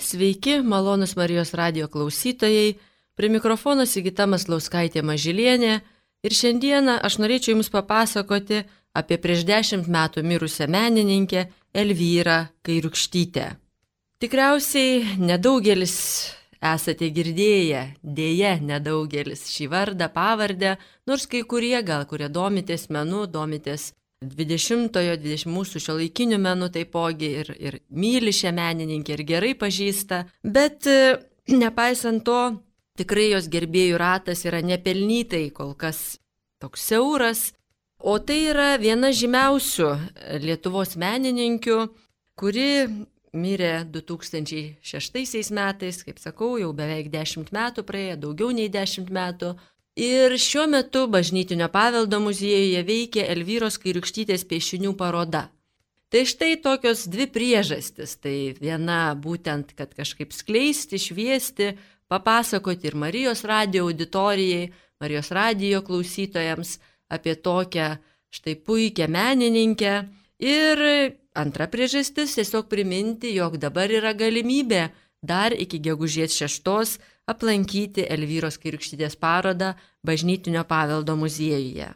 Sveiki, malonus Marijos radijo klausytojai, prie mikrofono Sigita Maslauskaitė Mažylienė ir šiandieną aš norėčiau Jums papasakoti apie prieš 10 metų mirusią menininkę Elvyrą Kairiūkštytę. Tikriausiai nedaugelis esate girdėję, dėja nedaugelis šį vardą, pavardę, nors kai kurie kurie domitės menu, domitės 20 mūsų šiuolaikinių menų taipogi ir myli šią menininkę ir gerai pažįsta, bet nepaisant to, tikrai jos gerbėjų ratas yra nepelnytai kol kas toks siauras, o tai yra viena žymiausių Lietuvos menininkių, kuri mirė 2006 metais, kaip sakau, jau beveik 10 metų praėjo, daugiau nei 10 metų. Ir šiuo metu Bažnytinio paveldo muziejuje veikia Elvyros Kairiūkštytės piešinių paroda. Tai štai tokios dvi priežastis. Tai viena būtent, kad kažkaip skleisti, šviesti, papasakoti ir Marijos radijo auditorijai, Marijos radijo klausytojams apie tokią štai puikią menininkę. Ir antra priežastis tiesiog priminti, jog dabar yra galimybė dar iki gegužės 6 aplankyti Elvyros Kairiūkštytės parodą Bažnytinio paveldo muziejuje.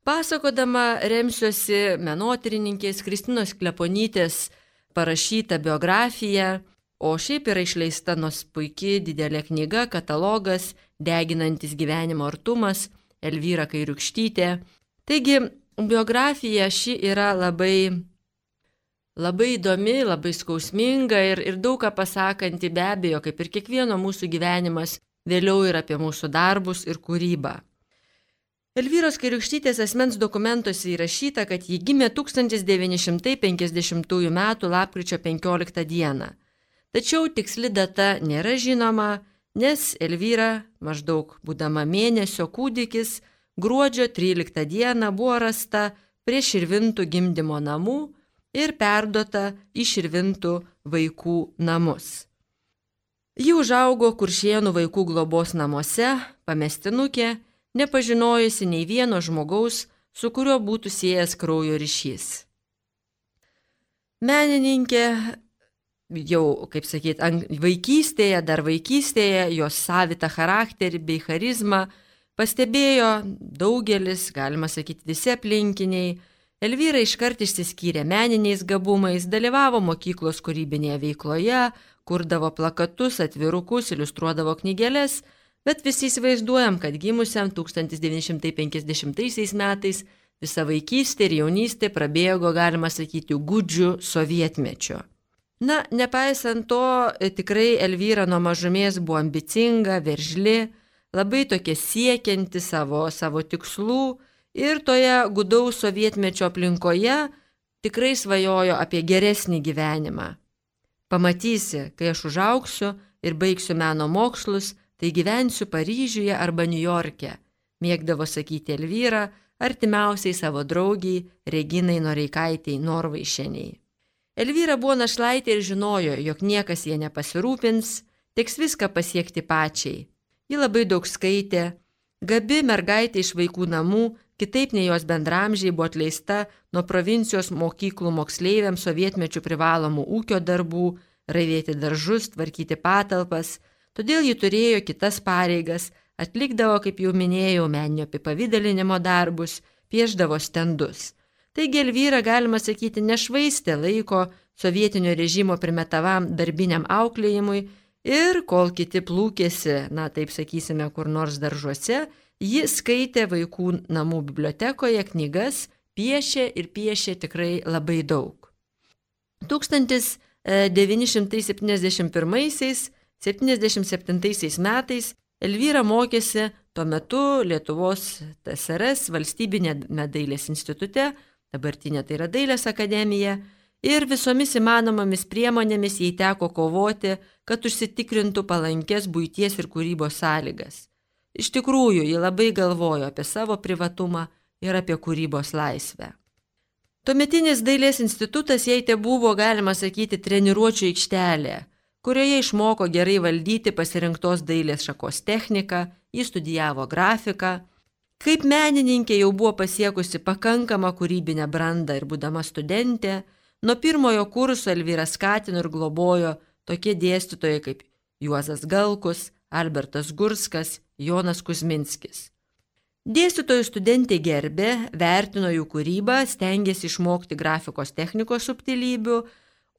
Pasakodama remsiuosi menotyrininkės Kristinos Kleponytės parašytą biografiją, o šiaip yra išleista nors puikiai didelė knyga, katalogas Deginantis gyvenimo artumas Elvyra Kairiūkštytė. Taigi biografija ši yra labai įdomi, labai skausminga ir daug ką pasakanti, be abejo, kaip ir kiekvieno mūsų gyvenimas, vėliau ir apie mūsų darbus ir kūrybą. Elvyros Kairiūkštytės asmens dokumentuose įrašyta, kad ji gimė 1950 m. lapkričio 15 d. Tačiau tiksli data nėra žinoma, nes Elvyra, maždaug būdama mėnesio kūdikis, gruodžio 13 d. buvo rasta prie Širvintų gimdymo namų ir perduota į Širvintų vaikų namus. Ji užaugo Kuršėnų vaikų globos namuose, pamestinukė, nepažinojusi nei vieno žmogaus, su kuriuo būtų siejęs kraujo ryšys. Menininkė jau, kaip sakyt, vaikystėje, jos savitą charakterį bei charizmą pastebėjo daugelis, galima sakyti, visi aplinkiniai. Elvyra iškart išsiskyrė meniniais gabumais, dalyvavo mokyklos kūrybinėje veikloje, kurdavo plakatus, atvirukus, iliustruodavo knygeles, bet visi įsivaizduojam, kad gimusiam 1950 metais visa vaikystė ir jaunystė prabėgo, galima sakyti, gūdžiu sovietmečiu. Na, nepaisant to, tikrai Elvyra nuo mažumės buvo ambicinga, veržli, labai tokia siekianti savo tikslų. Ir toje gudaus sovietmečio aplinkoje tikrai svajojo apie geresnį gyvenimą. Pamatysi, kai aš užaugsiu ir baigsiu meno mokslus, tai gyvensiu Paryžiuje arba Niujorke, mėgdavo sakyti Elvyra artimiausiai savo draugiai Reginai Noreikaitei Norvaišieniai. Elvyra buvo našlaitė ir žinojo, jog niekas jie nepasirūpins, teks viską pasiekti pačiai. Ji labai daug skaitė, gabi mergaitė iš vaikų namų, kitaip nei jos bendramžiai buvo atleista nuo provincijos mokyklų moksleiviams sovietmečių privalomų ūkio darbų, ravėti daržus, tvarkyti patalpas, todėl ji turėjo kitas pareigas, atlikdavo, kaip jau minėjau, meninio apipavidalinimo darbus, pieždavo stendus. Taigi Elvyra, galima sakyti, nešvaistė laiko sovietinio režimo primetavam darbiniam auklėjimui ir kol kiti plūkėsi, taip sakysime, kur nors daržuose, ji skaitė vaikų namų bibliotekoje knygas, piešė tikrai labai daug. 1971–1977 metais Elvyra mokėsi tuo metu Lietuvos TSRS valstybinėme dailės institute, dabartinė tai yra Dailės akademija, ir visomis įmanomomis priemonėmis jai teko kovoti, kad užsitikrintų palankes buities ir kūrybos sąlygas. Iš tikrųjų, ji labai galvojo apie savo privatumą ir apie kūrybos laisvę. Tuometinis dailės institutas jai tebuvo, galima sakyti, treniruočių aikštelė, kurioje išmoko gerai valdyti pasirinktos dailės šakos techniką, ji studijavo grafiką. Kaip menininkė jau buvo pasiekusi pakankamą kūrybinę brandą ir būdama studentė, nuo pirmojo kurso Elvyra skatino ir globojo tokie dėstytojai kaip Juozas Galkus, Albertas Gurskas, Jonas Kuzminskis. Dėstytojų studentė gerbė, vertino jų kūrybą, stengėsi išmokti grafikos technikos subtilybių,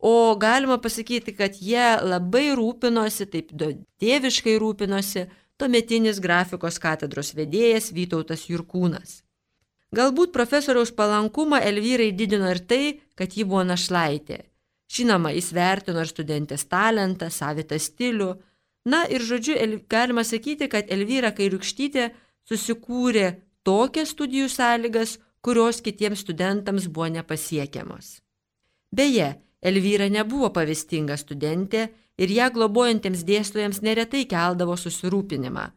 o galima pasakyti, kad jie labai rūpinosi, taip tėviškai rūpinosi, tuometinis grafikos katedros vedėjas Vytautas Jurkūnas. Galbūt profesoriaus palankumą Elvyrai didino ir tai, kad ji buvo našlaitė. Žinoma, jis vertino ir studentės talentą, savitą stilių. Na ir žodžiu, galima sakyti, kad Elvyra Kairiūkštytė susikūrė tokias studijų sąlygas, kurios kitiems studentams buvo nepasiekiamos. Beje, Elvyra nebuvo pavyzdinga studentė ir ją globojantiems dėstytojams neretai keldavo susirūpinimą.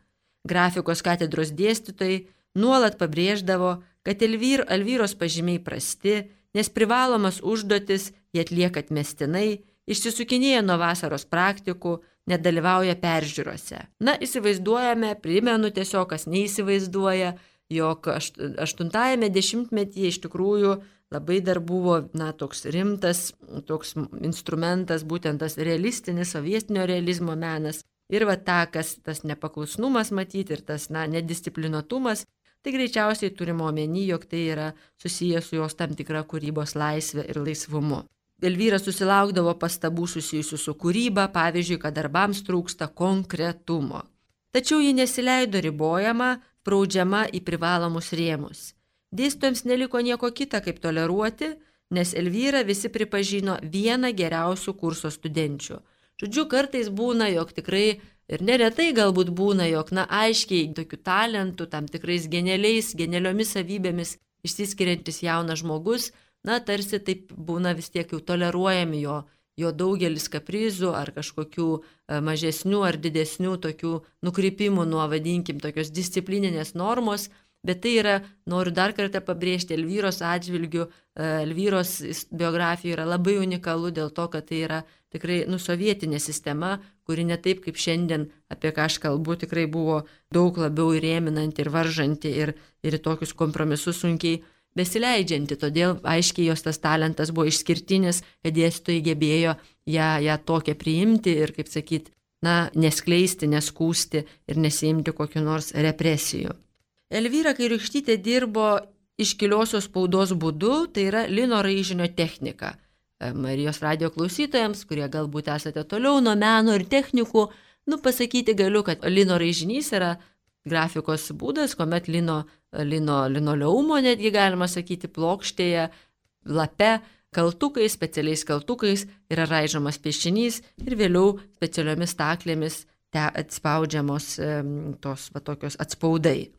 Grafikos katedros dėstytojai nuolat pabrėždavo, kad Elvyros pažymiai prasti, nes privalomas užduotis jie atlieka atmestinai, išsisukinėja nuo vasaros praktikų, nedalyvauja peržiūrose. Na, įsivaizduojame, primenu tiesiog, kas neįsivaizduoja, jog 8-ame dešimtmetyje iš tikrųjų labai dar buvo toks rimtas toks instrumentas, būtent tas realistinis, sovietinio realizmo menas. Ir tas nepaklusnumas matyti ir tas nedisciplinuotumas, tai greičiausiai turime omeny, jog tai yra susijęs su jos tam tikra kūrybos laisvė ir laisvumu. Elvyra susilaukdavo pastabų susijusių su kūryba, pavyzdžiui, kad darbams trūksta konkretumo. Tačiau ji nesileido ribojama, spraudžiama į privalomus rėmus. Dėstytojams neliko nieko kita, kaip toleruoti, nes Elvyrą visi pripažino vieną geriausių kurso studenčių. Žodžiu, kartais būna, jog tikrai ir neretai galbūt būna, jog aiškiai tokių talentų, tam tikrais genialiomis savybėmis išsiskiriantis jaunas žmogus, tarsi taip būna vis tiek jau toleruojami jo daugelis kaprizų ar kažkokių mažesnių ar didesnių tokių nukrypimų nuo, vadinkim, tokios disciplininės normos, bet tai yra, noriu dar kartą pabrėžti, Elvyros atžvilgių, Elvyros biografija yra labai unikalu dėl to, kad tai yra tikrai sovietinė sistema, kuri ne taip kaip šiandien, apie ką aš kalbu, tikrai buvo daug labiau įrėminanti ir varžanti ir į tokius kompromisus sunkiai besileidžianti, todėl aiškiai jos tas talentas buvo išskirtinis, kad dėstytojai gebėjo ją tokią priimti ir, kaip sakyti, neskleisti, neskūsti ir nesiimti kokiu nors represijų. Elvyra Kairiūkštytė dirbo iškiliosios spaudos būdu, tai yra lino raižinio technika. Marijos radijo klausytojams, kurie galbūt esate toliau nuo meno ir technikų, pasakyti galiu, kad lino raižinys yra grafikos būdas, kuomet linoleumo, netgi galima sakyti, plokštėje, lape, kaltukais, specialiais kaltukais yra raižomas piešinys ir vėliau specialiomis staklėmis atspaudžiamos tokios atspaudai.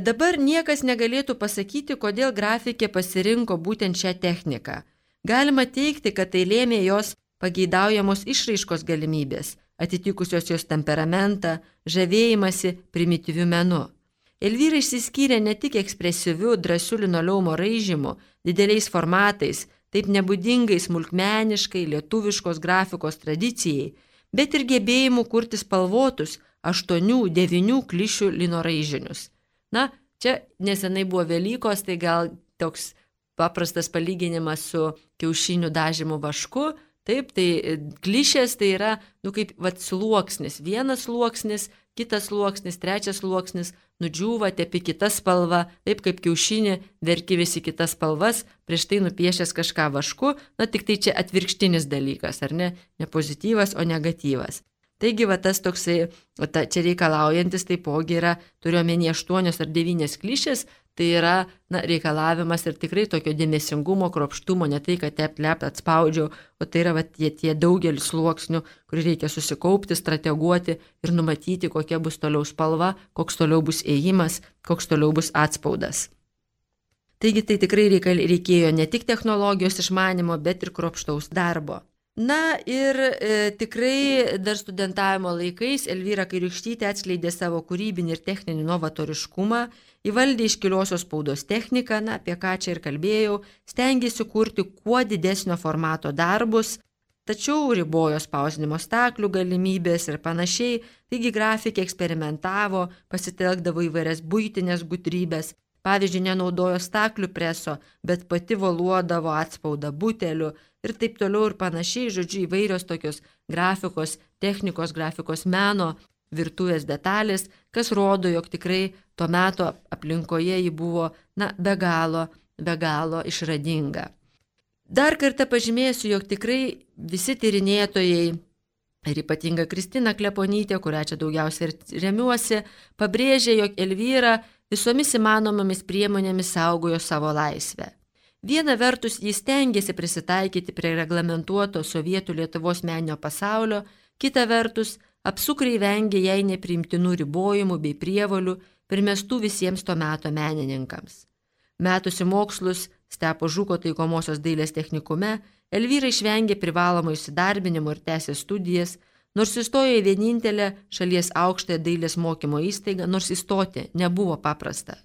Dabar niekas negalėtų pasakyti, kodėl grafikė pasirinko būtent šią techniką. Galima teigti, kad tai lėmė jos pageidaujamos išraiškos galimybės, atitikusios jos temperamentą, žavėjimąsi primityviu menu. Elvyra išsiskyrė ne tik ekspresyviu, drąsiu linoleumo raižymu, dideliais formatais, taip nebūdingai smulkmeniškai lietuviškos grafikos tradicijai, bet ir gebėjimu kurti spalvotus 8-9 klišių lino raižinius. Čia nesenai buvo Velykos, tai gal toks paprastas palyginimas su kiaušinių dažymu vašku. Taip, tai klišės tai yra, kaip sluoksnis, vienas sluoksnis, kitas sluoksnis, trečias sluoksnis, nudžiūva, tepi kitą spalvą, taip kaip kiaušinį, verki visi kitas spalvas, prieš tai nupiešęs kažką vašku, tik tai čia atvirkštinis dalykas, ar ne pozityvas, o negatyvas. Taigi, tas toksai, čia reikalaujantis taipogi yra, turiuomenį 8 ar 9 klišės, tai yra reikalavimas ir tikrai tokio dėmesingumo, kruopštumo, ne tai, kad tep atspaudžiau, o tai yra tie daugelis sluoksnių, kur reikia susikaupti, strateguoti ir numatyti, kokia bus toliau spalva, koks toliau bus ėjimas, koks toliau bus atspaudas. Taigi tai tikrai reikėjo ne tik technologijos išmanimo, bet ir kruopštaus darbo. Ir tikrai dar studentavimo laikais Elvyra Kairiūkštytė atskleidė savo kūrybinį ir techninį novatoriškumą, įvaldė iškiliosios spaudos techniką, apie ką čia ir kalbėjau, stengėsi kurti kuo didesnio formato darbus, tačiau ribojo spausdinimo staklių galimybės ir panašiai, taigi grafikė eksperimentavo, pasitelkdavo įvairias buitinės gudrybės, pavyzdžiui, nenaudojo staklių preso, bet pati voluodavo atspaudą butelių ir taip toliau ir panašiai, žodžiu, įvairios tokios grafikos, technikos, grafikos meno, virtuvės detalės, kas rodo, jog tikrai to meto aplinkoje ji buvo, be galo išradinga. Dar kartą pažymėsiu, jog tikrai visi tyrinėtojai, ir ypatinga Kristina Kleponytė, kurią čia daugiausiai ir remiuosi, pabrėžė, jog Elvyra visomis įmanomomis priemonėmis saugojo savo laisvę. Viena vertus jis stengiasi prisitaikyti prie reglamentuoto sovietų Lietuvos meninio pasaulio, kita vertus apsukriai vengė jai nepriimtinų ribojimų bei prievolių primestų visiems to meto menininkams. Metusi mokslus Stepo Žuko taikomosios dailės technikume, Elvyra išvengė privalomo įsidarbinimo ir tęsė studijas, nors įstojo į vienintelę šalies aukštąją dailės mokymo įstaigą, nors įstoti nebuvo paprasta.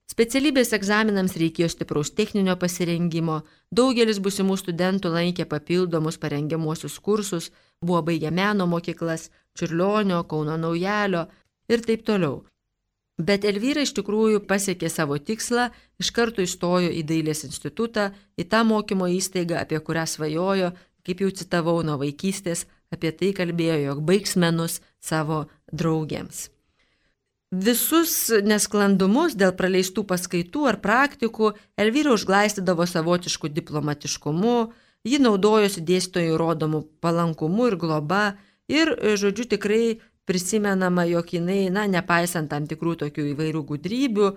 Specialybės egzaminams reikėjo stipraus techninio pasirengimo, daugelis būsimų studentų lankė papildomus parengiamuosius kursus, buvo baigę meno mokyklas, Čiurlionio, Kauno Naujalio ir taip toliau. Bet Elvyra iš tikrųjų pasiekė savo tikslą, iš karto įstojo į Dailės institutą, į tą mokymo įstaigą, apie kurią svajojo, kaip jau citavau nuo vaikystės, apie tai kalbėjo, jog baigs menus savo draugėms. Visus nesklandumus dėl praleistų paskaitų ar praktikų Elvyra užglaistydavo savotišku diplomatiškumu, ji naudojosi dėstytojų rodomų palankumu ir globa ir, žodžiu, tikrai prisimenama, jog jinai, nepaisant tam tikrų tokių įvairių gudrybių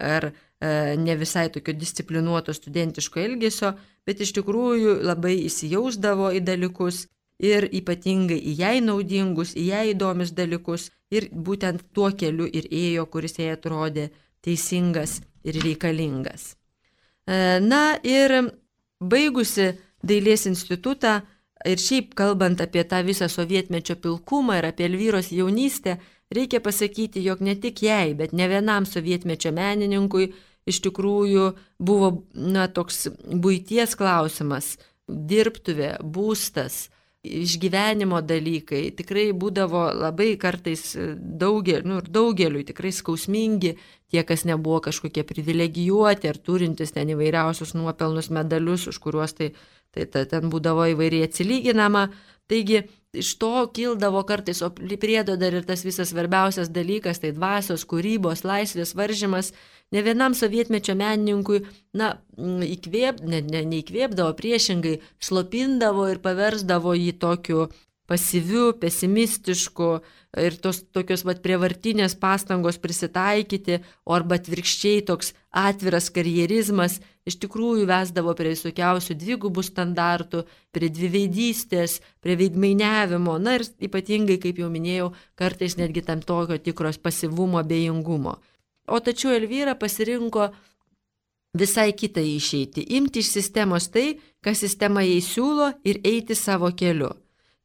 ar ne visai tokio disciplinuoto studentiško elgesio, bet iš tikrųjų labai įsijausdavo į dalykus ir ypatingai į jai naudingus, į jai įdomius dalykus ir būtent tuo keliu ir ėjo, kuris jai atrodė teisingas ir reikalingas. Ir baigusi Dailės institutą, ir šiaip kalbant apie tą visą sovietmečio pilkumą ir apie Elvyros jaunystę, reikia pasakyti, jog ne tik jai, bet ne vienam sovietmečio menininkui iš tikrųjų buvo toks buities klausimas, dirbtuvė, būstas, išgyvenimo dalykai tikrai būdavo labai kartais daugeliui tikrai skausmingi, tie, kas nebuvo kažkokie privilegijuoti ar turintys ten įvairiausius nuopelnus medalius, už kuriuos tai ten būdavo įvairiai atsilyginama. Taigi iš to kildavo kartais, o priedo dar ir tas visas svarbiausias dalykas, tai dvasios, kūrybos, laisvės varžymas. Ne vienam sovietmečio menininkui, neįkvėpdavo, priešingai slopindavo ir paversdavo jį tokiu pasyviu, pesimistišku ir tos tokios prievartinės pastangos prisitaikyti, arba atvirkščiai toks atviras karjerizmas iš tikrųjų vesdavo prie visokiausių dvigubų standartų, prie dviveidystės, prie veidmainiavimo, ir ypatingai, kaip jau minėjau, kartais netgi tam tokio tikros pasyvumo, abejingumo. O tačiau Elvyra pasirinko visai kitą išeitį, imti iš sistemos tai, ką sistema jai siūlo ir eiti savo keliu.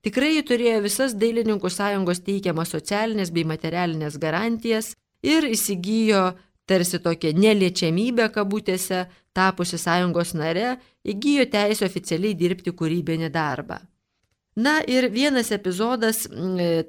Tikrai ji turėjo visas Dailininkų sąjungos teikiamas socialinės bei materialinės garantijas ir įsigijo tarsi tokią neliečiamybę kabutėse, tapusi sąjungos nare, įgijo teisę oficialiai dirbti kūrybinį darbą. Ir vienas epizodas,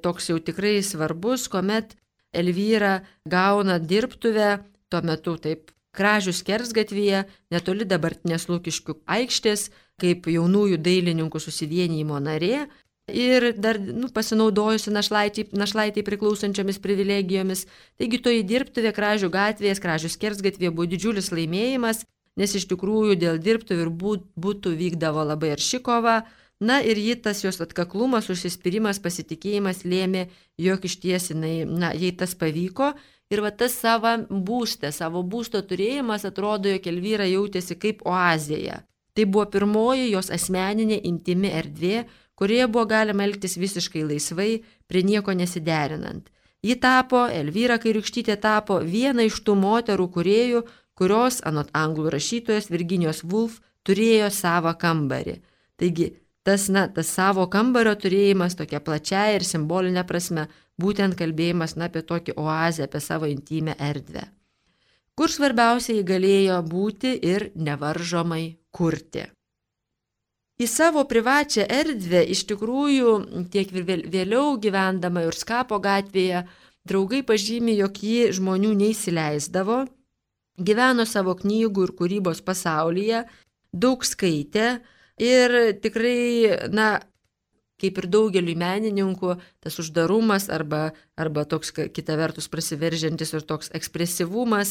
toks jau tikrai svarbus, kuomet Elvyra gauna dirbtuvę, tuo metu taip Kražių skersgatvyje, netoli dabartinės Lukiškių aikštės, kaip jaunųjų dailininkų susivienijimo narė ir dar pasinaudojusi našlaitei priklausančiomis privilegijomis. Taigi toji dirbtuvė Kražių gatvėje, Kražių skersgatvėje buvo didžiulis laimėjimas, nes iš tikrųjų dėl dirbtuvių ir būtų vykdavo labai arši kova. Ir tas jos atkaklumas, užsispyrimas, pasitikėjimas lėmė, jog iš ties jai tas pavyko. Ir tas savo būsto turėjimas atrodo, jog Elvyra jautėsi kaip oazėje. Tai buvo pirmoji jos asmeninė intimi erdvė, kurioje buvo galima elgtis visiškai laisvai, prie nieko nesiderinant. Elvyra Kairiūkštytė tapo viena iš tų moterų kūrėjų, kurios, anot anglų rašytojos Virginijos Woolf, turėjo savo kambarį. Taigi, tas savo kambario turėjimas tokia plačiaja ir simbolinė prasme, būtent kalbėjimas apie tokį oazę, apie savo intimę erdvę, kur svarbiausia jį galėjo būti ir nevaržomai kurti. Į savo privačią erdvę iš tikrųjų tiek vėliau gyvendama Jurskapo gatvėje draugai pažymi, jog ji žmonių neįsileisdavo, gyveno savo knygų ir kūrybos pasaulyje, daug skaitė ir tikrai, kaip ir daugeliui menininkų, tas uždarumas arba toks kita vertus prasiveržiantis ir toks ekspresyvumas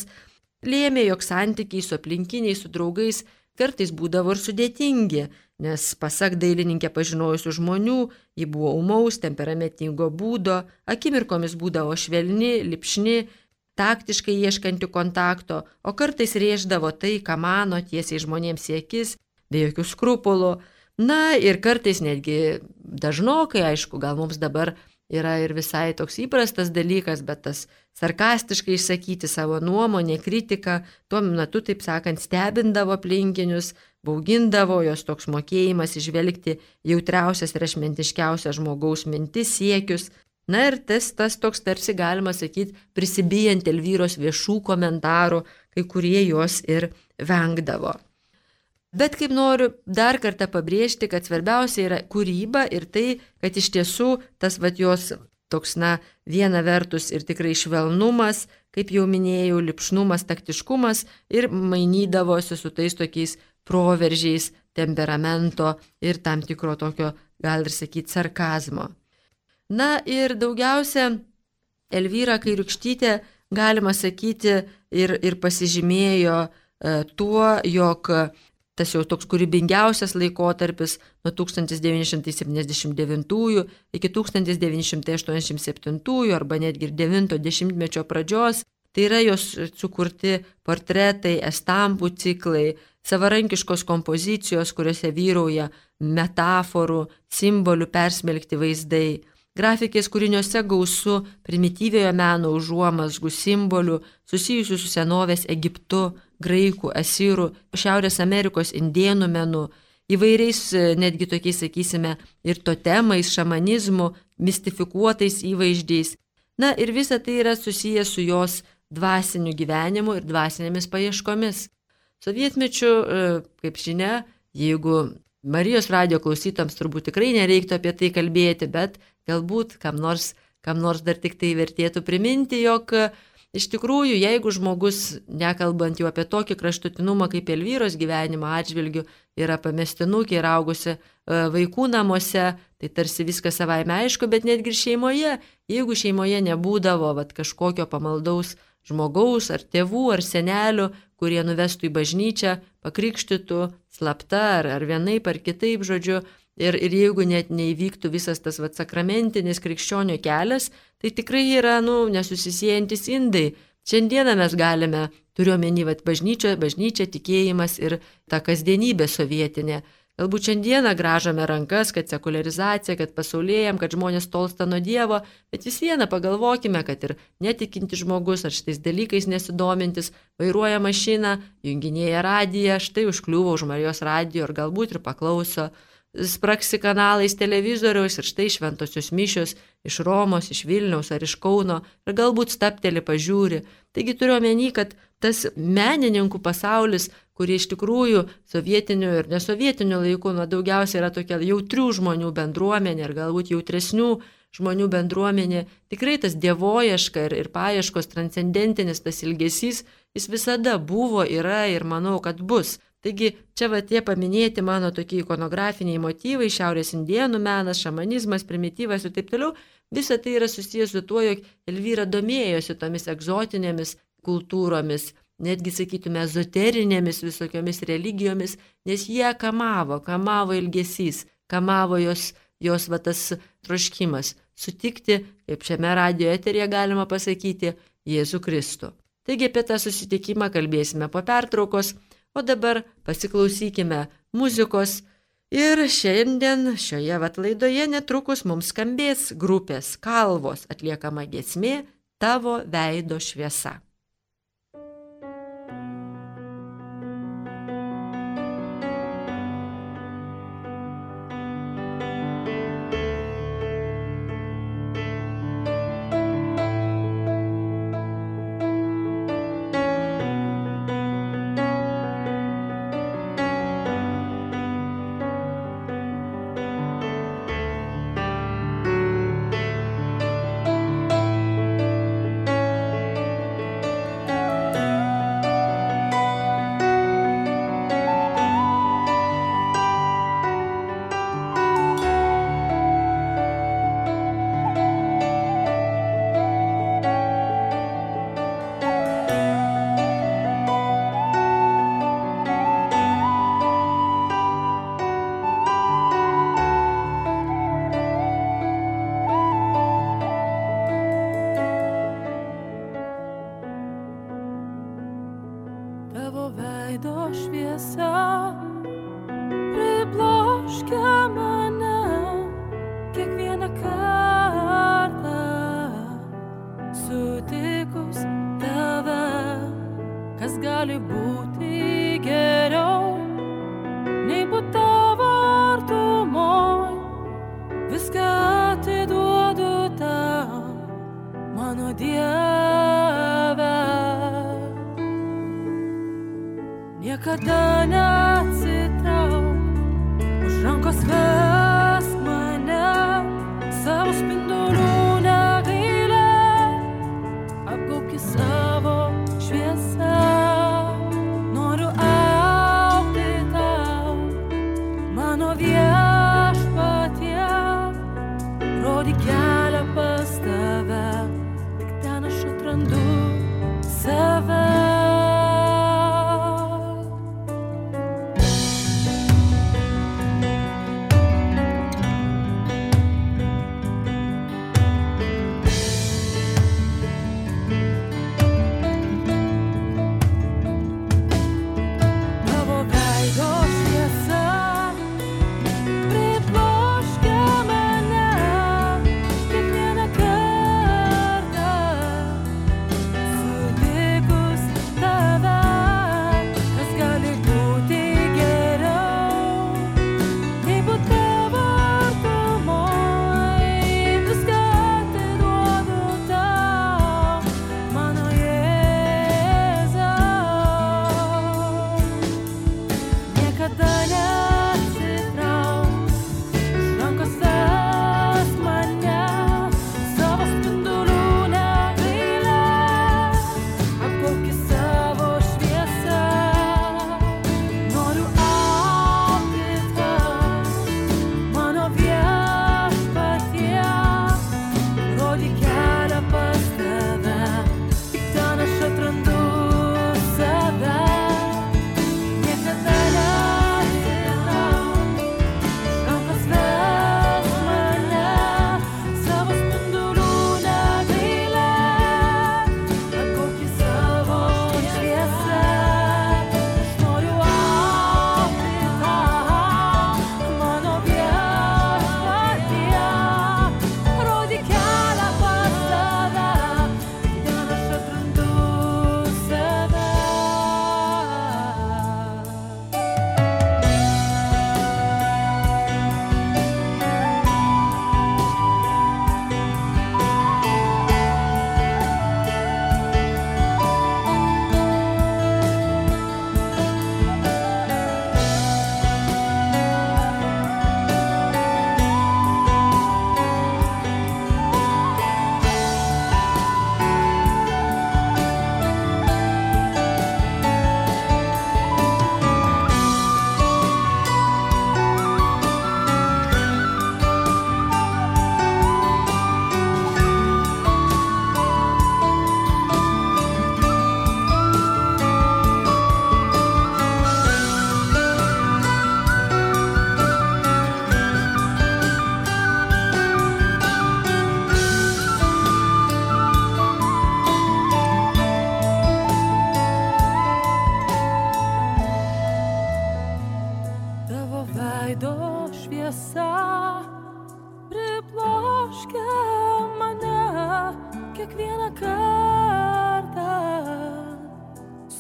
lėmė, jog santykiai su aplinkiniais, su draugais kartais būdavo ir sudėtingi, nes pasak dailininkė pažinojusių žmonių, ji buvo ūmaus, temperamentingo būdo, akimirkomis būdavo švelni, lipšni, taktiškai ieškanti kontakto, o kartais rėždavo tai, ką mano, tiesiai žmonėms į akis, be jokių skrupulų. Ir kartais netgi dažnokai, aišku, gal mums dabar yra ir visai toks įprastas dalykas, bet tas sarkastiškai išsakyti savo nuomonę, kritiką, tuo metu, taip sakant, stebindavo aplinkinius, baugindavo, jos toks mokėjimas išvelgti jautriausias ir ašmentiškiausias žmogaus mintis, siekius. Ir tas toks tarsi, galima sakyti, prisibijant Elvyros viešų komentarų, kai kurie jos ir vengdavo. Bet kaip noriu dar kartą pabrėžti, kad svarbiausia yra kūryba ir tai, kad iš tiesų tas jos toks, viena vertus ir tikrai švelnumas, kaip jau minėjau, lipšnumas, taktiškumas ir mainydavosi su tais tokiais proveržiais temperamento ir tam tikro tokio, gal ir sakyti, sarkazmo. Ir daugiausia Elvyra Kairiūkštytė, galima sakyti, ir pasižymėjo tuo, jog tas jau toks kūrybingiausias laikotarpis nuo 1979 iki 1987 arba netgi ir 90-mečio pradžios, tai yra jos sukurti portretai, estampų ciklai, savarankiškos kompozicijos, kuriuose vyrauja metaforų, simbolių persmelkti vaizdai. Grafikės kūriniuose gausu primityviojo meno užuomazgų simbolių susijusių su senovės Egiptu, graikų, asirų, Šiaurės Amerikos indėnų menu, įvairiais netgi tokiais, sakysime, ir totemais, šamanizmu, mistifikuotais įvaizdžiais. Ir visa tai yra susijęs su jos dvasiniu gyvenimu ir dvasinėmis paieškomis. Sovietmečiu, kaip žinia, jeigu Marijos radijo klausytams turbūt tikrai nereiktų apie tai kalbėti, bet galbūt kam nors dar tik tai vertėtų priminti, jog iš tikrųjų, jeigu žmogus, nekalbant jau apie tokį kraštutinumą kaip Elvyros gyvenimo atžvilgiu, yra pamestinukė ir augusi vaikų namuose, tai tarsi viskas savaime aišku, bet netgi ir šeimoje, jeigu šeimoje nebūdavo kažkokio pamaldaus žmogaus ar tėvų ar senelių, kurie nuvestų į bažnyčią, pakrikštytų slapta ar vienaip ar kitaip, žodžiu, ir jeigu net neįvyktų visas tas sakramentinis krikščionio kelias, tai tikrai yra, nesusisiejantis indai. Šiandieną mes galime, turiuomenį bažnyčia, tikėjimas ir ta kasdienybė sovietinė. Galbūt šiandieną gražome rankas, kad sekularizacija, kad pasaulėjam, kad žmonės tolsta nuo Dievo, bet vis viena pagalvokime, kad ir netikintis žmogus ar šitais dalykais nesidomintis, vairuoja mašiną, junginėja radiją, štai užkliūva už Marijos radijo ir galbūt ir paklauso, spraksi kanalais televizoriaus ir štai šventosios mišios iš Romos, iš Vilniaus ar iš Kauno ir galbūt stapteli pažiūri. Taigi turiu omeny, kad tas menininkų pasaulis, kurie iš tikrųjų sovietinių ir nesovietinių laikų daugiausiai yra tokia jautrių žmonių bendruomenė ir galbūt jautresnių žmonių bendruomenė, tikrai tas dievoieška ir paieškos transcendentinis tas ilgesys, jis visada buvo, yra ir manau, kad bus. Taigi čia tie paminėti mano tokie ikonografiniai motyvai, šiaurės indėnų menas, šamanizmas, primityvas ir taip toliau, visa tai yra susijęs su tuo, jog Elvyra domėjosi tomis egzotinėmis kultūromis, netgi sakytume ezoterinėmis visokiomis religijomis, nes jie kamavo ilgesys, kamavo jos tas troškimas sutikti, kaip šiame radijo eteryje galima pasakyti, Jėzų Kristų. Taigi apie tą susitikimą kalbėsime po pertraukos, o dabar pasiklausykime muzikos ir šiandien šioje laidoje netrukus mums skambės grupės Kalvos atliekama giesmė Tavo veido šviesa. niekada neatsitrauk, už rankos vesk mane, savo spindulių negailėk, apgaubk savo šviesą, noriu augti tau, mano viešpatie, rodyk kelią pas tave, tik ten aš atrandu save.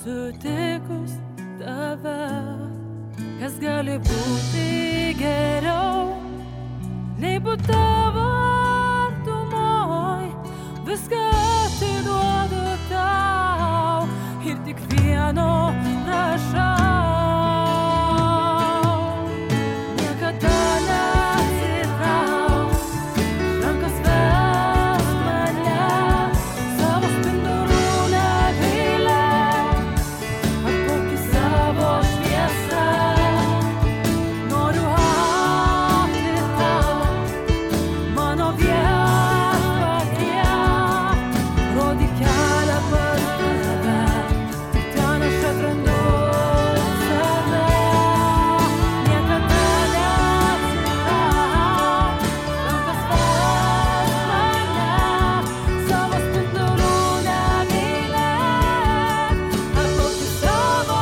Sutikus tave, kas gali būti geriau, nei būt tavo artumoj, viską atiduodu tau ir tik vieno prašau. Niekada neatsitrauk, rankos vesk mane, savo spindulių negailėk, apgaubk savo šviesą, noriu augti tau, mano viešpatie, rodyk kelią pas tave, tik ten aš atrandu save. Niekada neatsitrauk, rankos vesk mane, savo spindulių negailėk, apgaubk savo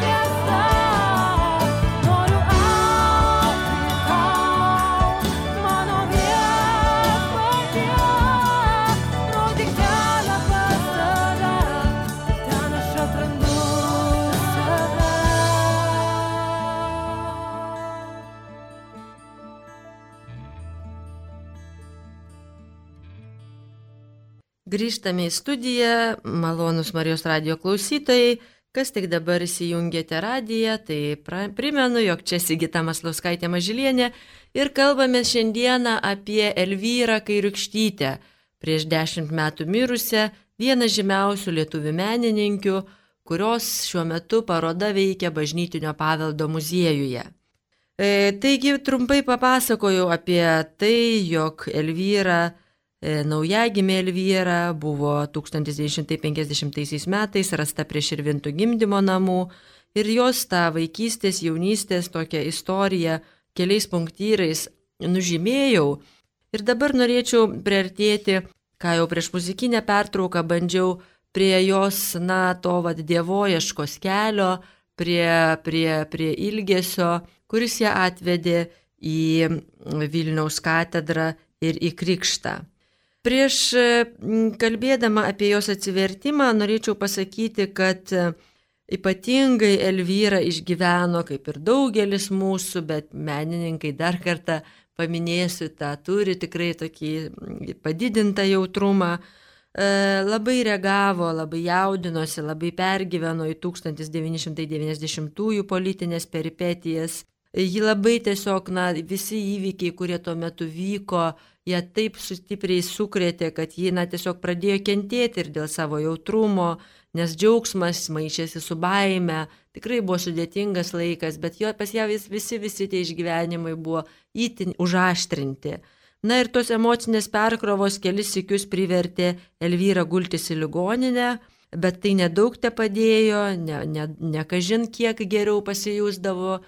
šviesą, noriu augti tau, mano viešpatie, rodyk kelią pas tave, ten aš atrandu save. Grįžtame į studiją, malonus Marijos radijo klausytojai, Kas tik dabar įsijungėte radiją, tai primenu, jog čia Sigita Maslauskaitė Mažylienė ir kalbame šiandieną apie Elvyrą Kairiūkštytę, prieš 10 metų mirusią, vieną žymiausių lietuvių menininkių, kurios šiuo metu paroda veikia Bažnytinio paveldo muziejuje. Taigi trumpai papasakojau apie tai, jog Elvyra, naujagimė Elvyra buvo 1950 metais rasta prie Širvintų gimdymo namų ir jos tą vaikystės, jaunystės tokią istoriją keliais punktyrais nužymėjau. Ir dabar norėčiau priartėti, ką jau prieš muzikinę pertrauką bandžiau, prie jos, to dievoieškos kelio, prie ilgesio, kuris ją atvedė į Vilniaus katedrą ir į krikštą. Prieš kalbėdama apie jos atsivertimą norėčiau pasakyti, kad ypatingai Elvyra išgyveno, kaip ir daugelis mūsų, bet menininkai dar kartą paminėsiu, turi tikrai tokį padidintą jautrumą, labai reagavo, labai jaudinosi, labai pergyveno į 1990-ųjų politinės peripetijas. Ji labai tiesiog, visi įvykiai, kurie tuo metu vyko, ją taip stipriai sukrėtė, kad ji tiesiog pradėjo kentėti ir dėl savo jautrumo, nes džiaugsmas maišėsi su baime. Tikrai buvo sudėtingas laikas, bet pas ją visi tie išgyvenimai buvo itin užaštrinti. Ir tos emocinės perkrovos kelis sykius privertė Elvyrą gultis į ligoninę, bet tai nedaug te padėjo, ne kažin kiek geriau pasijusdavo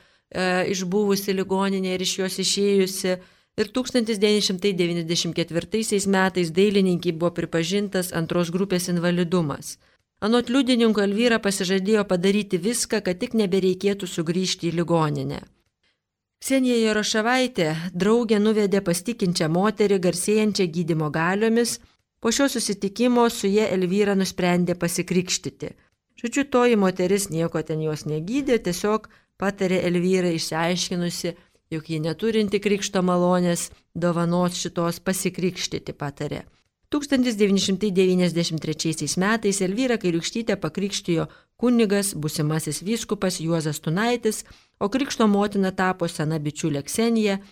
išbuvusi ligoninė ir iš jos išėjusi. Ir 1994 metais dailininkiai buvo pripažintas antros grupės invalidumas. Anot liudininkų Elvyra pasižadėjo padaryti viską, kad tik nebereikėtų sugrįžti į ligoninę. Ksenija Jaroševaitė draugė nuvedė pas tikinčią moterį, garsėjančią gydymo galiomis. Po šio susitikimo su ja Elvyra nusprendė pasikrikštyti. Žodžiu, toji moteris nieko ten jos negydė, tiesiog patarė Elvyrai, išsiaiškinusi, jog ji neturinti krikšto malonės dovanos šitos, pasikrikštyti patarė. 1993 metais Elvyrą Kairiūkštytę pakrikštijo kunigas, būsimasis vyskupas Juozas Tunaitis, o krikšto motina tapo sena bičiulė Ksenija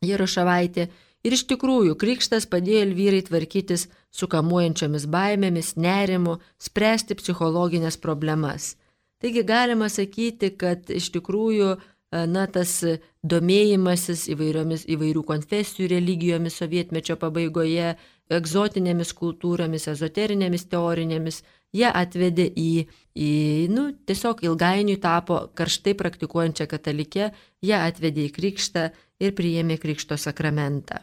Jaroševaitė. Ir iš tikrųjų krikštas padėjo Elvyrai tvarkytis su kamuojančiomis baimėmis, nerimu, spręsti psichologinės problemas. Taigi galima sakyti, kad iš tikrųjų tas domėjimasis įvairių konfesijų religijomis sovietmečio pabaigoje, egzotinėmis kultūromis, ezoterinėmis teorinėmis, jie atvedė tiesiog ilgainiui tapo karštai praktikuojančią katalikę, jie atvedė į krikštą ir priėmė krikšto sakramentą.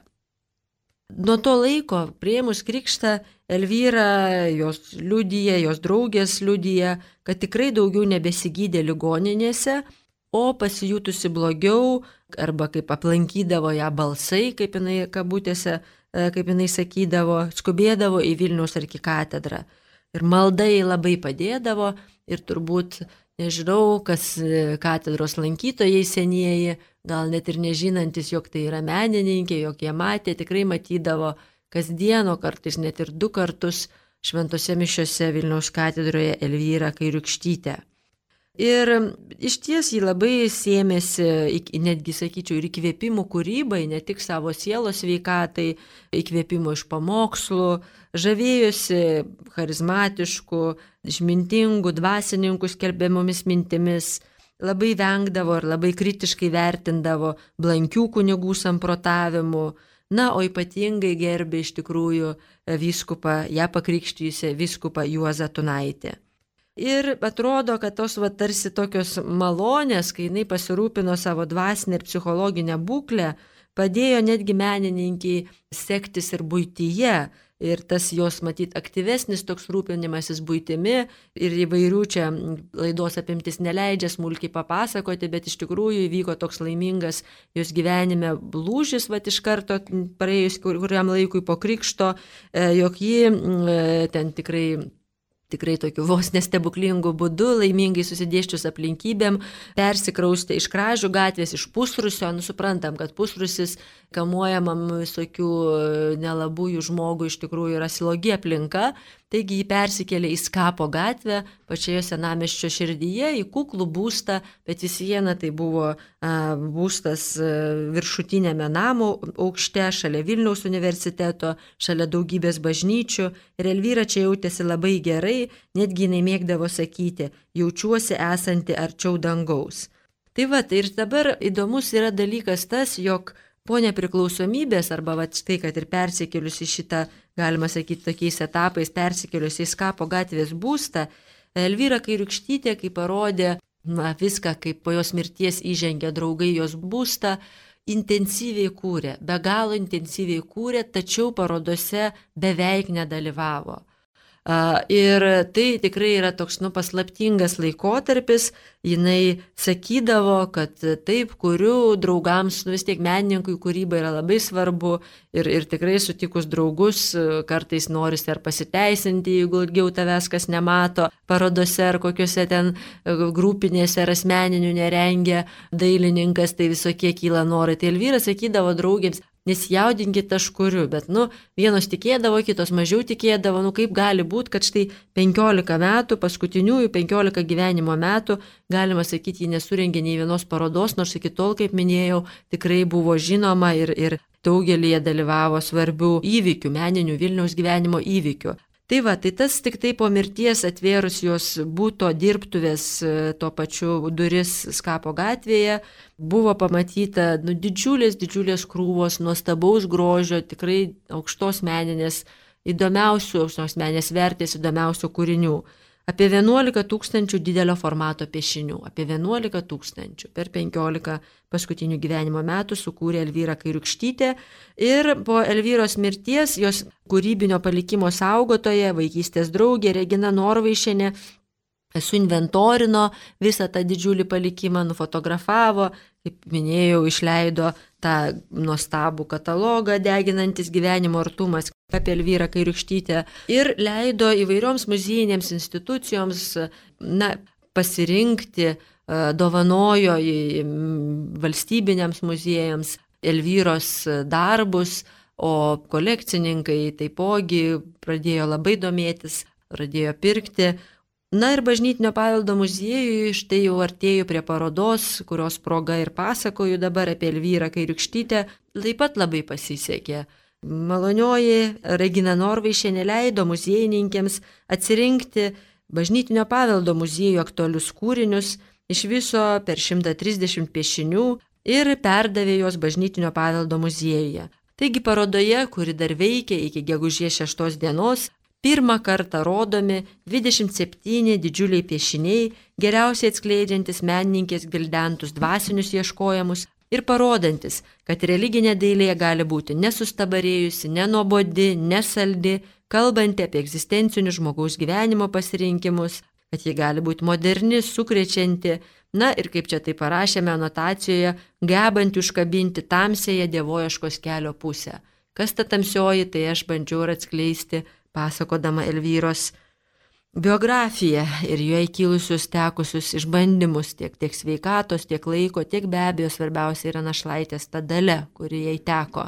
Nuo to laiko, priėmus krikštą, Elvyra, jos draugės liudija, kad tikrai daugiau nebesigydė ligoninėse, o pasijutusi blogiau, arba kaip aplankydavo ją balsai, kaip jinai kabutėse, kaip jinai sakydavo, skubėdavo į Vilniaus arkikatedrą. Ir maldai labai padėdavo ir turbūt, nežinau, kas katedros lankytojai senieji, gal net ir nežinantis, jog tai yra menininkė, jog jie matė, tikrai matydavo kasdieno, kartais net ir 2 kartus šventose mišiose Vilniaus katedroje Elvyrą Kairiūkštytę. Ir iš ties jį labai sėmėsi, netgi sakyčiau, ir įkvėpimų kūrybai, ne tik savo sielos sveikatai, įkvėpimų iš pamokslų, žavėjosi charizmatiškų, išmintingų, dvasininkų skelbiamomis mintimis, labai vengdavo ir labai kritiškai vertindavo blankių kunigų samprotavimų, o ypatingai gerbė iš tikrųjų vyskupą, ją pakrikštijusią vyskupą Juozą Tunaitį. Ir atrodo, kad tos tarsi tokios malonės, kai jinai pasirūpino savo dvasinę ir psichologinę būklę, padėjo netgi menininkiai sektis ir buityje. Ir tas jos, matyt, aktyvesnis toks rūpinimasis buitimi ir įvairių čia laidos apimtis neleidžia smulkiai papasakoti, bet iš tikrųjų įvyko toks laimingas jos gyvenime lūžis, iš karto praėjus kuriam laikui po krikšto, jog ji ten tikrai tikrai tokiu vos nestebuklingų būdu, laimingai susidėščius aplinkybėm, persikraustė iš Kražių gatvės, iš Pusrūsio. Suprantam, kad Pusrūsis kamuojamam visokių nelabųjų žmogų iš tikrųjų yra slogi aplinka, taigi jį persikėlė į Skapo gatvę, pačioje senamiesčio širdyje, į kuklų būstą, bet vis viena tai buvo būstas viršutinėme namo aukšte, šalia Vilniaus universiteto, šalia daugybės bažnyčių, ir Elvyra čia jautėsi labai gerai, netgi jinai mėgdavo sakyti, jaučiuosi esanti arčiau dangaus. Tai ir dabar įdomus yra dalykas tas, jog po nepriklausomybės, arba štai, kad ir persikėlius į šitą, galima sakyti, tokiais etapais, persikėlius į Skapo gatvės būstą, Elvyra Kairiūkštytė, kai parodė viską, kaip po jos mirties įžengė draugai jos būstą, intensyviai kūrė, be galo intensyviai kūrė, tačiau parodose beveik nedalyvavo. Ir tai tikrai yra toks paslaptingas laikotarpis, jinai sakydavo, kad taip, kuriu draugams, vis tiek menininkui kūryba yra labai svarbu ir tikrai sutikus draugus, kartais norisi ar pasiteisinti, jeigu ilgiau tavęs kas nemato, parodose ar kokiuose ten grupinėse ar asmeninių nerengia dailininkas, tai visokie kyla norai. Tai Elvyra sakydavo draugėms, nesijaudinkit, aš kuriu, bet vienos tikėdavo, kitos mažiau tikėdavo, kaip gali būti, kad štai 15 metų, paskutiniųjų 15 gyvenimo metų, galima sakyti, ji nesurengė nei vienos parodos, nors iki tol, kaip minėjau, tikrai buvo žinoma ir daugelį dalyvavo svarbių įvykių, meninių Vilniaus gyvenimo įvykių. Tai tas tik tai po mirties atvėrus jos būto dirbtuvės tuo pačiu duris Skapo gatvėje, buvo pamatyta didžiulės krūvos, nuostabaus grožio, tikrai aukštos meninės, aukštos meninės vertės, įdomiausių kūrinių. Apie 11 000 didelio formato piešinių, apie 11 000 per 15 paskutinių gyvenimo metų sukūrė Elvyra Kairiūkštytė ir po Elvyros mirties jos kūrybinio palikimo saugotoja, vaikystės draugė Regina Norvaišienė suinventorino visą tą didžiulį palikimą, nufotografavo, kaip minėjau, išleido tą nuostabų katalogą Deginantis gyvenimo artumas apie Elvyrą Kairiūkštytę ir leido įvairioms muziejinėms institucijoms pasirinkti, dovanojo valstybiniams muziejams Elvyros darbus, o kolekcininkai taipogi pradėjo labai domėtis, pradėjo pirkti. Ir Bažnytinio paveldo muziejui, štai jau artėju prie parodos, kurios proga ir pasakoju dabar apie Elvyrą Kairiūkštytę, taip pat labai pasisekė. Malonioji Regina Norvaišienė leido muziejininkėms atsirinkti Bažnytinio paveldo muziejų aktualius kūrinius, iš viso per 130 piešinių ir perdavė juos Bažnytinio paveldo muziejuje. Taigi parodoje, kuri dar veikia iki gegužės 6 dienos, pirmą kartą rodomi 27 didžiuliai piešiniai, geriausiai atskleidžiantis menininkės gvildentus dvasinius ieškojimus ir parodantis, kad religinė dailė gali būti nesustabarėjusi, nenuobodi, nesaldi, kalbanti apie egzistencinius žmogaus gyvenimo pasirinkimus, kad ji gali būti moderni, sukrečianti, ir kaip čia tai parašėme anotacijoje, gebanti užkabinti tamsiąją dievoieškos kelio pusę. Kas ta tamsioji, tai aš bandžiau ir atskleisti, pasakodama Elvyros biografiją ir joje kilusius tekusius išbandymus tiek sveikatos, tiek laiko, tiek be abejo svarbiausia yra našlaitės ta dalia, kuri jai teko.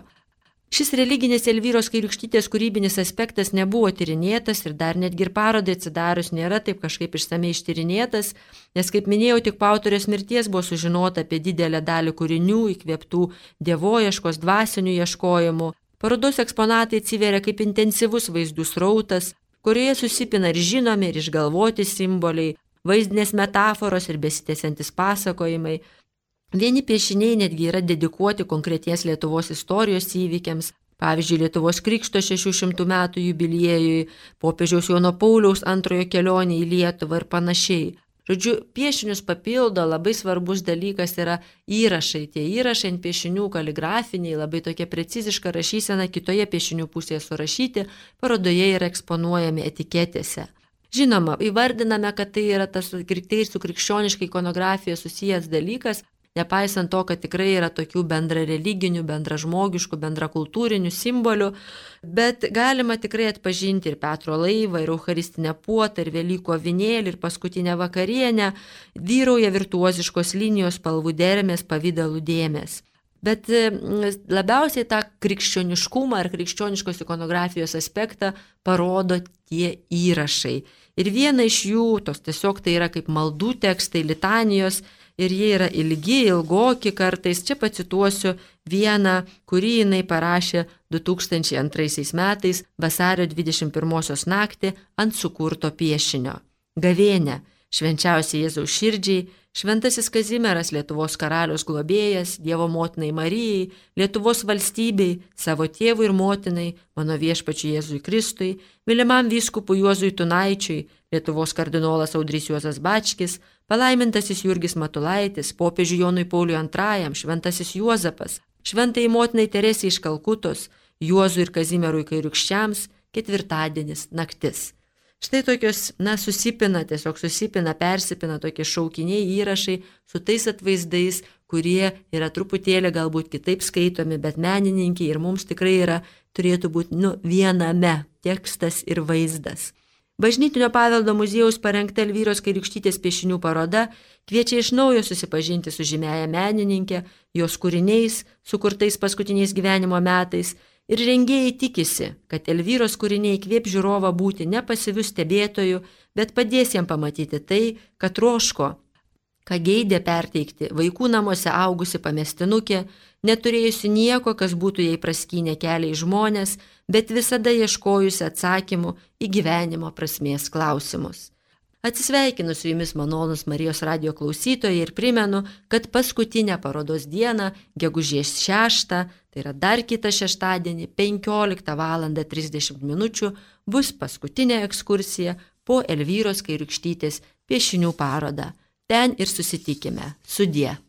Šis religinis Elvyros Kairiūkštytės kūrybinis aspektas nebuvo tyrinėtas ir dar netgi ir parodai atsidarius nėra taip kažkaip išsamei ištyrinėtas, nes, kaip minėjau, tik po autorės mirties buvo sužinota apie didelę dalį kūrinių įkvėptų dievoieškos dvasinių ieškojimų. Parodos eksponatai atsiveria kaip intensyvus vaizdų srautas, kurioje susipina ir žinomi, ir išgalvoti simboliai, vaizdinės metaforos ir besitęsiantis pasakojimai. Vieni piešiniai netgi yra dedikuoti konkreties Lietuvos istorijos įvykiams, pavyzdžiui, Lietuvos krikšto 600 metų jubiliejui, popiežiaus Jono Pauliaus II kelionė į Lietuvą ir panašiai. Žodžiu, piešinius papildo labai svarbus dalykas yra įrašai. Tie įrašai ant piešinių kaligrafiniai, labai tokia preciziška rašysena, kitoje piešinių pusėje surašyti, parodoje yra eksponuojami etiketėse. Žinoma, įvardiname, kad tai yra tas su krikščioniška ikonografija susijęs dalykas, nepaisant to, kad tikrai yra tokių bendra religinių, bendra žmogiškų, bendra kultūrinių simbolių, bet galima tikrai atpažinti ir Petro laivą, ir Eucharistinę puotą, ir Velykų avinėlį, ir paskutinę vakarienę, vyrauja virtuoziškos linijos, spalvų dermės, pavydalų dėmės. Bet labiausiai tą krikščioniškumą ar krikščioniškos ikonografijos aspektą parodo tie įrašai. Ir viena iš jų, tiesiog tai yra kaip maldų tekstai, litanijos, ir jie yra ilgi, ilgoki kartais. Čia pacituosiu vieną, kurį jinai parašė 2002 metais vasario 21 naktį ant sukurto piešinio. Gavėnia, švenčiausiai Jėzaus širdžiai, Šventasis Kazimieras, Lietuvos karalius globėjas, Dievo motinai Marijai, Lietuvos valstybei, savo tėvui ir motinai, mano viešpačiui Jėzui Kristui, mylimam vyskupui Juozui Tunaičiui, Lietuvos kardinolas Audrys Juozas Bačkis, palaimintasis Jurgis Matulaitis, popiežiui Jonui Pauliui II, Šventasis Juozapas, Šventai motinai Teresei iš Kalkutos, Juozui ir Kazimierui Kairiūkščiams, ketvirtadienis, naktis. Štai tokios, susipina, persipina tokie šaukiniai, įrašai su tais atvaizdais, kurie yra truputėlį galbūt kitaip skaitomi, bet menininkiai ir mums tikrai turėtų būti viename tekstas ir vaizdas. Bažnytinio paveldo muziejaus parengta Elvyros Kairiūkštytės piešinių paroda kviečia iš naujo susipažinti su žymiaja menininkė, jos kūriniais, sukurtais paskutiniais gyvenimo metais, ir rengėjai tikisi, kad Elvyros kūriniai įkvėp žiūrovą būti ne pasyviu stebėtoju, bet padės jam pamatyti tai, ką troško, ką geidė perteikti vaikų namuose augusi pamestinukė, neturėjusi nieko, kas būtų jai praskynę kelią į žmonės, bet visada ieškojusi atsakymų į gyvenimo prasmės klausimus. Atsisveikinu su jumis malonūs Marijos radijo klausytojai ir primenu, kad paskutinę parodos dieną, gegužės 6, tai yra dar kitą šeštadienį, 15:30 min. Bus paskutinė ekskursija po Elvyros Kairiūkštytės piešinių parodą. Ten ir susitikime. Sudie.